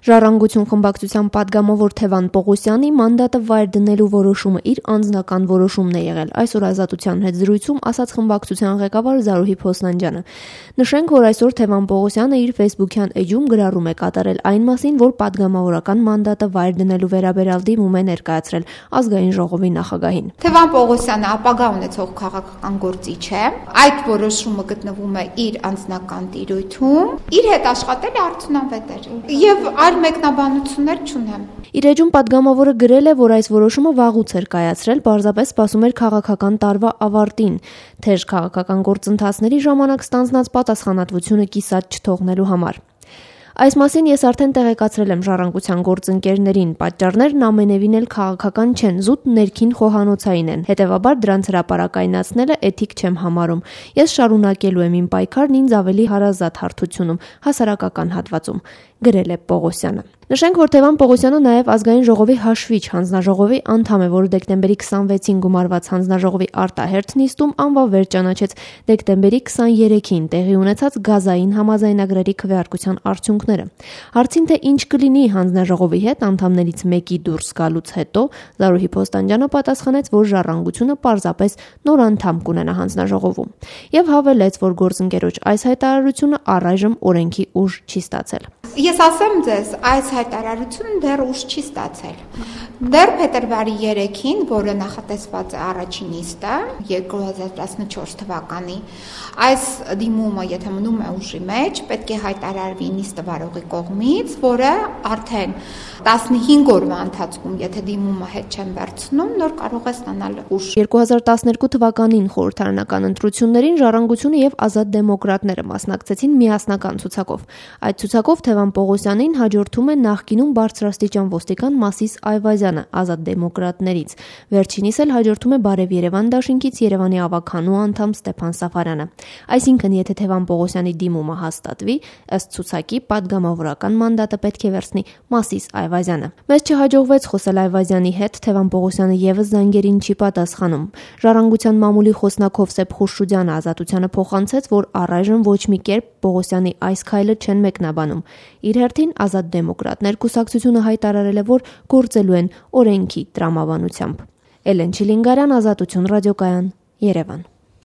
Ժառանգություն խմբակցության պատգամավոր Թևան Պողոսյանի մանդատը վայր դնելու որոշումը իր անձնական որոշումն է եղել, այսօր Ազատության հետ զրույցում ասաց խմբակցության ղեկավար Զարուհի Փոսնանջյանը։ Նշենք, որ այսօր Թևան Պողոսյանը իր ֆեյսբուքյան էջում գրառում է կատարել այն մասին, որ պատգամավորական մանդատը վայր դնելու վերաբերյալ դիմում է ներկայացրել Ազգային ժողովի նախագահին։ Թևան Պողոսյանը ապագա ունեցող քաղաքական գործիչ է, այդ որոշումը գտնվում է իր անձնական տիրույթում, իր հետ աշխատել արդյունավետ էր եւ այլ մեկնաբանություններ չունեմ։ Իր էջում պատգամավորը գրել է, որ այս որոշումը վաղուց էր կայացրել, պարզապես սպասում էր քաղաքական տարվա ավարտին, թեժ քաղաքական գործընթացների ժամանակ ստանձնած պատասխանատվությունը կիսատ չթողնելու համար։ Այս մասին ես արդեն տեղեկացրել եմ Ժառանգության գործընկերներին, պատճառներն ամենևին էլ քաղաքական չեն, զուտ ներքին խոհանոցային են, հետևաբար դրանց հրապարակայնացնելը էթիկ չեմ համարում։ Ես շարունակելու եմ իմ պայքարն ինձ ավելի հարազատ հարթությունում, հասարակական հատվածում, գրել է Պողոսյանը։ Նշենք, որ Թևան Պողոսյանը նաև Ազգային ժողովի հաշվիչ հանձնաժողովի անդամ է, որը դեկտեմբերի 26-ին գումարված հանձնաժողովի արտահերթ նիստում անվավեր ճանաչեց դեկտեմբերի 23-ին տեղի ունեցած գազային համաձայնագրերի քվեարկության արդյունքները։ Հարցին, թե ինչ կլինի հանձնաժողովի հետ անդամներից մեկի դուրս գալուց հետո, Զարուհի Փոսնանջյանը պատասխանեց, որ Ժառանգությունը պարզապես նոր անդամ կունենա հանձնաժողովում եւ հավելեց, որ գործընկերոջ այս հայտարարությունը առայժմ օրենքի ուժ չի ստացել։ Ես ասեմ ձեզ, այս հայտարարությունը դեռ ուժ չի ստացել։ Դեռ փետրվարի 3-ին, որը նախատեսված է առաջին նիստը 2014 թվականի, այս դիմումը, եթե մնում է ուժի մեջ, պետք է հայտարարվի նիստը վարողի կողմից, որը արդեն 15 օրվա ընթացքում, եթե դիմումը հետ չեն վերցնում, նոր կարող է ստանալ ուժ։ 2012 թվականին խորհրդարանական ընտրություններին Ժառանգությունը եւ Ազատ դեմոկրատները մասնակցեցին միասնական ցուցակով։ Այդ ցուցակով Թևան Պողոսյանին հաջորդում է նախկինում բարձրաստիճան ոստիկան Մասիս Այվազյանը Ազատ դեմոկրատներից։ Վերջինիս էլ հաջորդում է Բարև Երևան դաշինքից Երևանի ավագանու անդամ Ստեփան Սաֆարյանը։ Այսինքն, եթե Թևան Պողոսյանի դիմումը հաստատվի, ըստ ցուցակի պատգամավորական մանդատը պետք է վերցնի Մասիս Այվազյանը։ Մեզ չհաջողվեց խոսել Այվազյանի հետ, Թևան Պողոսյանը եւս զանգերին չի պատասխանում։ Ժառանգության մամուլի խոսնակ Հովսեփ Խուշուդյանը Ազատությանը փոխանցեց, որ առայժմ ոչ մի կերպ Պողոսյանի այս քայլը չեն մեկնաբանում։ Իր հերթին Ազատ դեմոկրատներ կուսակցությունը հայտարարել է, որ գործելու են օրենքի տրամաբանությամբ։ Էլեն Չիլինգարյան, Ազատություն ռադիոկայան, Երևան։